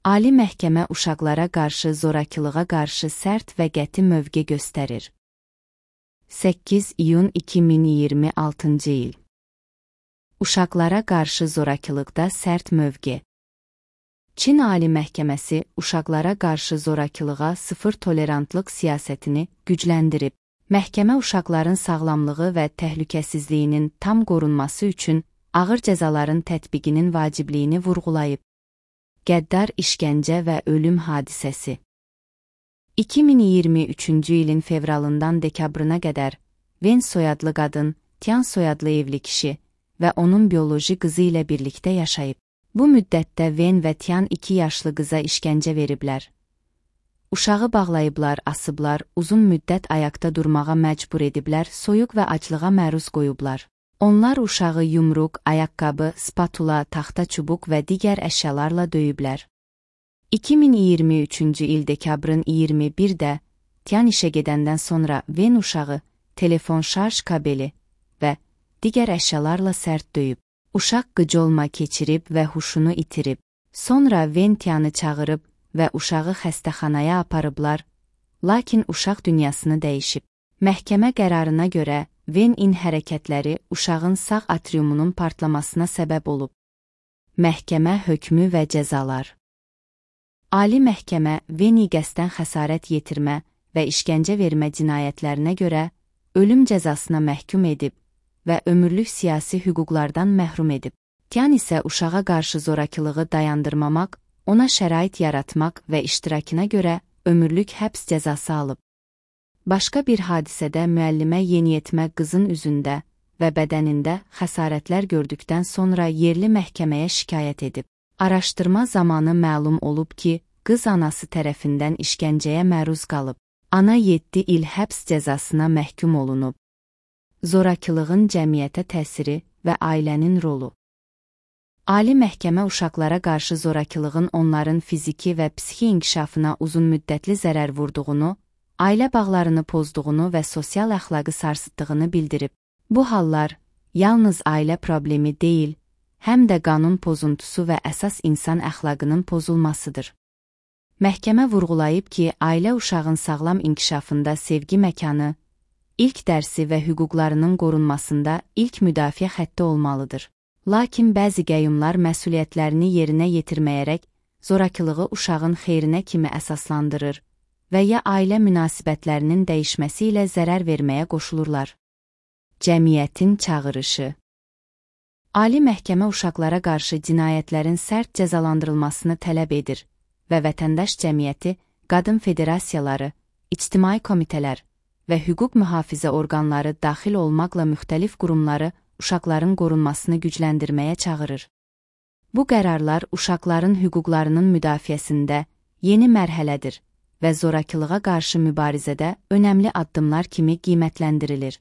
Ali Məhkəmə uşaqlara qarşı zorakılığa qarşı sərt və qəti mövqe göstərir. 8 iyun 2026-cı il. Uşaqlara qarşı zorakılıqda sərt mövqe. Çin Ali Məhkəməsi uşaqlara qarşı zorakılığa sıfır tolerantlıq siyasətini gücləndirib. Məhkəmə uşaqların sağlamlığı və təhlükəsizliyinin tam qorunması üçün ağır cəzaların tətbiqinin vacibliyini vurğulayıb. Qəddar işgəncə və ölüm hadisəsi. 2023-cü ilin fevralından dekabrına qədər Wen soyadlı qadın, Tian soyadlı evli kişi və onun bioloji qızı ilə birlikdə yaşayıb. Bu müddətdə Wen və Tian 2 yaşlı qıza işgəncə veriblər. Uşağı bağlayıblar, asıblar, uzun müddət ayaqda durmağa məcbur ediblər, soyuq və aclığa məruz qoyublar. Onlar uşağı yumruq, ayaqqabı, spatula, taxta çubuq və digər əşyalarla döyüblər. 2023-cü il dekabrın 21-də Tian işə gedəndən sonra Wen uşağı telefon şarj kabeli və digər əşyalarla sərt döyüb. Uşaq qıcolma keçirib və huşunu itirib. Sonra Wen Tianı çağırıb və uşağı xəstəxanaya aparıblar, lakin uşaq dünyasını dəyişib. Məhkəmə qərarına görə Wen-in hərəkətləri uşağın sağ atriumunun partlamasına səbəb olub. Məhkəmə hökmü və cəzalar. Ali Məhkəmə Wen-i qəsdən xəsarət yetirmə və işgəncə vermə cinayətlərinə görə ölüm cəzasına məhkum edib və ömürlük siyasi hüquqlardan məhrum edib. Tian isə uşağa qarşı zorakılığı dayandırmamaq, ona şərait yaratmaq və iştirakına görə ömürlük həbs cəzası alıb. Başqa bir hadisədə müəllimə yeniyetmə qızın üzündə və bədənində xəsarətlər gördükdən sonra yerli məhkəməyə şikayət edib. Araşdırma zamanı məlum olub ki, qız anası tərəfindən işgəncəyə məruz qalıb. Ana 7 il həbs cəzasına məhkum olunub. Zorakılığın cəmiyyətə təsiri və ailənin rolu. Ali Məhkəmə uşaqlara qarşı zorakılığın onların fiziki və psixi inkişafına uzunmüddətli zərər vurduğunu, ailə bağlarını pozduğunu və sosial əxlaqı sarsıtdığını bildirib. Bu hallar yalnız ailə problemi deyil, həm də qanun pozuntusu və əsas insan əxlaqının pozulmasıdır. Məhkəmə vurğulayıb ki, ailə uşağın sağlam inkişafında sevgi məkanı, ilk dərsi və hüquqlarının qorunmasında ilk müdafiə xətti olmalıdır. Lakin bəzi qəyyumlar məsuliyyətlərini yerinə yetirməyərək zorakılığı uşağın xeyrinə kimi əsaslandırır və ya ailə münasibətlərinin dəyişməsi ilə zərər verməyə qoşulurlar. Cəmiyyətin çağırışı. Ali Məhkəmə uşaqlara qarşı cinayətlərin sərt cəzalandırılmasını tələb edir və vətəndaş cəmiyyəti, qadın federasiyaları, ictimai komitələr və hüquq mühafizə orqanları daxil olmaqla müxtəlif qurumları uşaqların qorunmasını gücləndirməyə çağırır. Bu qərarlar uşaqların hüquqlarının müdafiəsində yeni mərhələdir və zorakılığa qarşı mübarizədə önəmli addımlar kimi qiymətləndirilir.